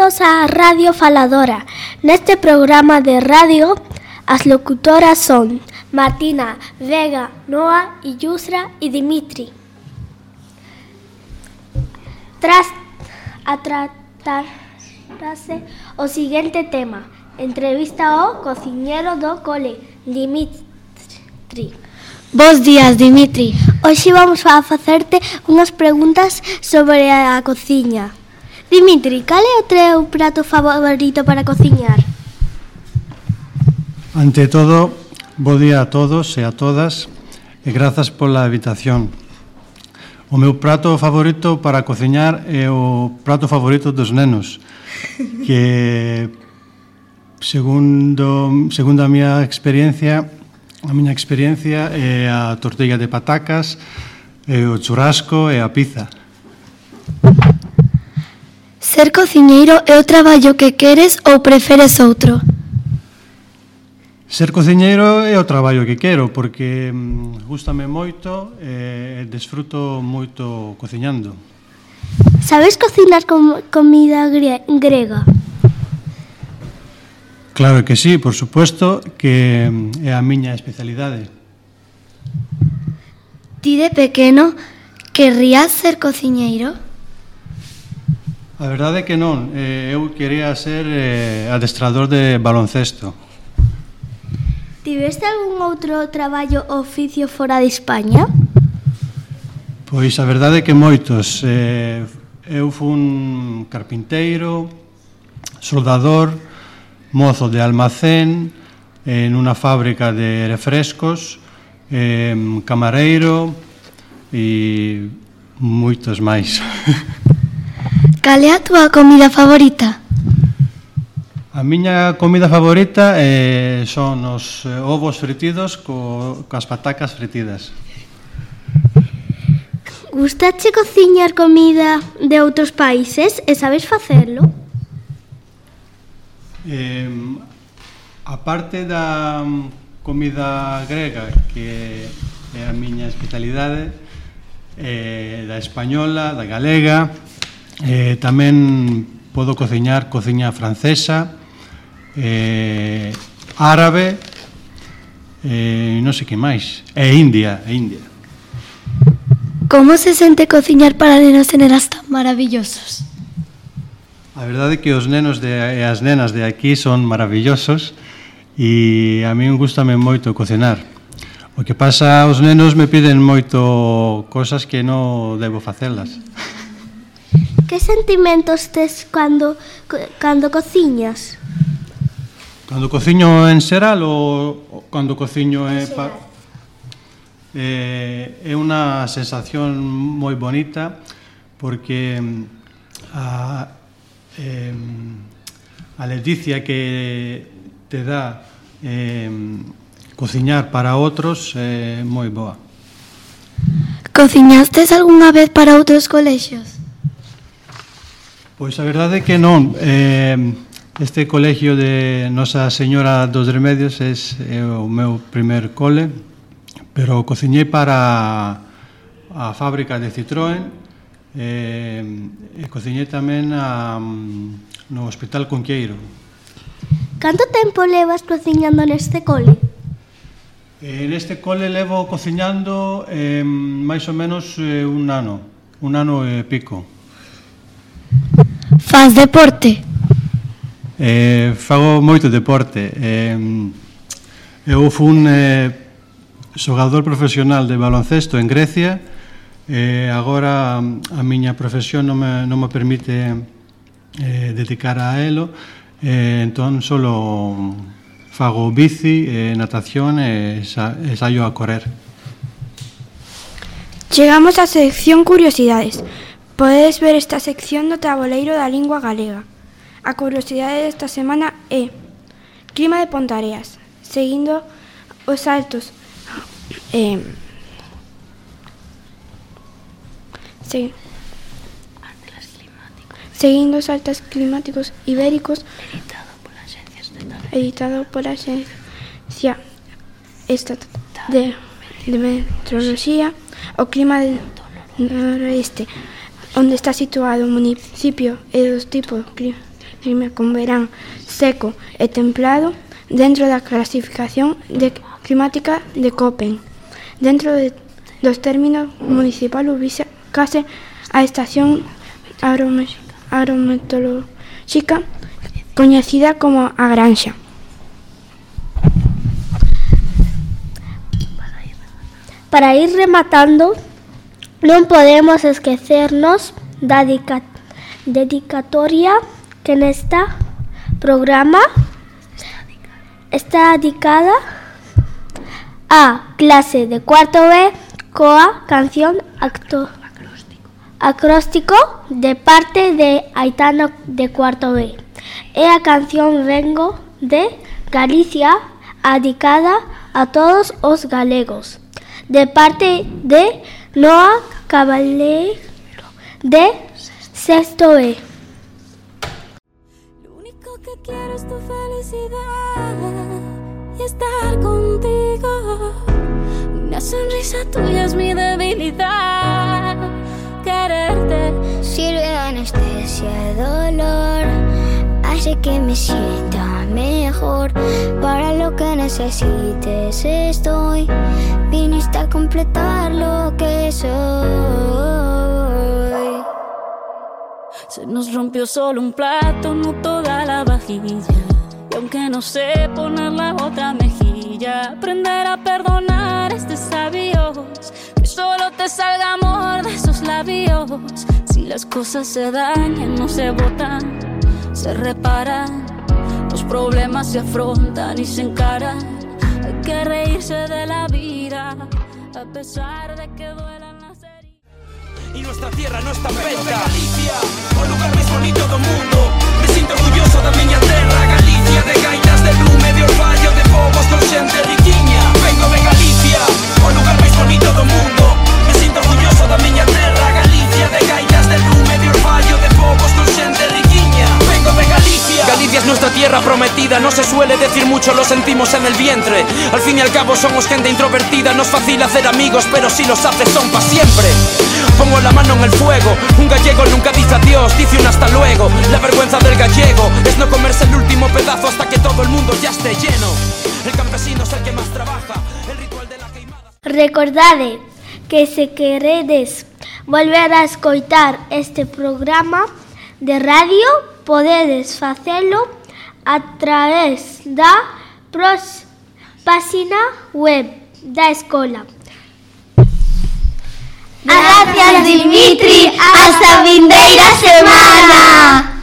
Benvidos á Radio Faladora. Neste programa de radio, as locutoras son Martina, Vega, Noa, Yusra e Dimitri. Tras a tratarse o seguinte tema, entrevista ao cociñero do cole, Dimitri. Bos días, Dimitri. Hoxe vamos a facerte unhas preguntas sobre a cociña. Dimitri, cal é o teu prato favorito para cociñar? Ante todo, bo día a todos e a todas e grazas pola invitación. O meu prato favorito para cociñar é o prato favorito dos nenos, que segundo a miña experiencia é a tortilla de patacas, o churrasco e a pizza. Ser cociñeiro é o traballo que queres ou preferes outro? Ser cociñeiro é o traballo que quero, porque gústame moito e desfruto moito cociñando. Sabes cocinar comida grega? Claro que sí, por suposto, que é a miña especialidade. Ti de pequeno querrías ser cociñeiro? A verdade é que non, eu quería ser adestrador de baloncesto. Tiveste algún outro traballo ou oficio fora de España? Pois a verdade é que moitos. Eu fun carpinteiro, soldador, mozo de almacén, nunha fábrica de refrescos, camareiro e moitos máis. Cal é a túa comida favorita? A miña comida favorita son os ovos fritidos coas patacas fritidas. Gustache cociñar comida de outros países e sabes facelo? A parte da comida grega, que é a miña especialidade, da española, da galega, tamén podo cociñar cociña francesa, árabe, non sei que máis, e India. Como se sente cociñar para nenos e nenas tan maravillosos? A verdade é que os nenos e as nenas de aquí son maravillosos e a min gústame moito cocinar. O que pasa, os nenos me piden moito cosas que non debo facelas. Que sentimentos tes cando cociñas? Cando cociño en xeral ou cando cociño é unha sensación moi bonita, porque a ledicia que te dá cociñar para outros é moi boa. Cociñastes algunha vez para outros colexios? Pois a verdade é que non. Este colegio de Nosa Señora dos Remedios é o meu primer cole, pero cociñei para a fábrica de Citroën e cociñei tamén no Hospital Conqueiro. Canto tempo levas cociñando neste cole? Neste cole levo cociñando máis ou menos un ano e pico. Faz deporte? Fago moito deporte. Eu fun xogador profesional de baloncesto en Grecia e agora a miña profesión non me permite dedicar a elo, entón solo fago bici, natación e saio a correr. Chegamos á sección Curiosidades. Podedes ver esta sección no tabuleiro da lingua galega. A curiosidade desta semana é clima de Ponteareas, seguindo os altos seguindo os altos climáticos ibéricos, editado pola Axencia Estatal de Meteoroloxía. O clima del noroeste, onde está situado o municipio, é dos tipos rima con verán seco e templado dentro da clasificación climática de Köppen. Dentro dos términos municipal ubícase a estación agrometeorolóxica coñecida como a Granxa. Para ir rematando, non podemos esquecernos da dedicatoria que neste programa está dedicada a clase de cuarto B coa canción acróstico de parte de Aitana de cuarto B. E a canción Vengo de Galicia, dedicada a todos os galegos, de parte de Noa Caballero de sexto E. Lo único que quiero es tu felicidad y estar contigo. Una sonrisa tuya es mi debilidad. Quererte sirve de anestesia de dolor, hace que me sienta mejor. Para lo que necesites estoy, viniste a completar lo que soy. Se nos rompió solo un plato, no toda la vajilla. Y aunque no sé poner la otra mejilla, aprender a perdonar es de sabios. Que solo te salga amor de esos labios. Si las cosas se dañan, no se botan, se reparan. Los problemas se afrontan y se encaran. Hay que reírse de la vida, a pesar de que duelan las heridas. Y nuestra tierra no está perfecta. Galicia, o lugar máis bonito do mundo. Me sinto orgulloso da miña terra. Galicia, de gaitas de lume, de orfallo, de povos con xente riquiña. Vengo de Galicia, o lugar máis bonito do mundo. Me sinto orgulloso da miña terra. Galicia, de gaitas de lume, de orfallo, de povos con xente riquiña. Vengo de Galicia. Galicia es nuestra tierra prometida. No se suele decir mucho, lo sentimos en el vientre. Al fin y al cabo somos gente introvertida. No es fácil hacer amigos, pero si los haces son pa' siempre. Pongo la mano en el fuego. Un gallego nunca dice adiós, dice un hasta luego. La vergüenza del gallego es no comerse el último pedazo hasta que todo el mundo ya esté lleno. El campesino es el que más trabaja. El ritual de la queimada. Recordade que se queredes volver a escoitar este programa de radio, podedes facelo a través da página web da escola. Gracias, Dimitri. Hasta vindeira semana.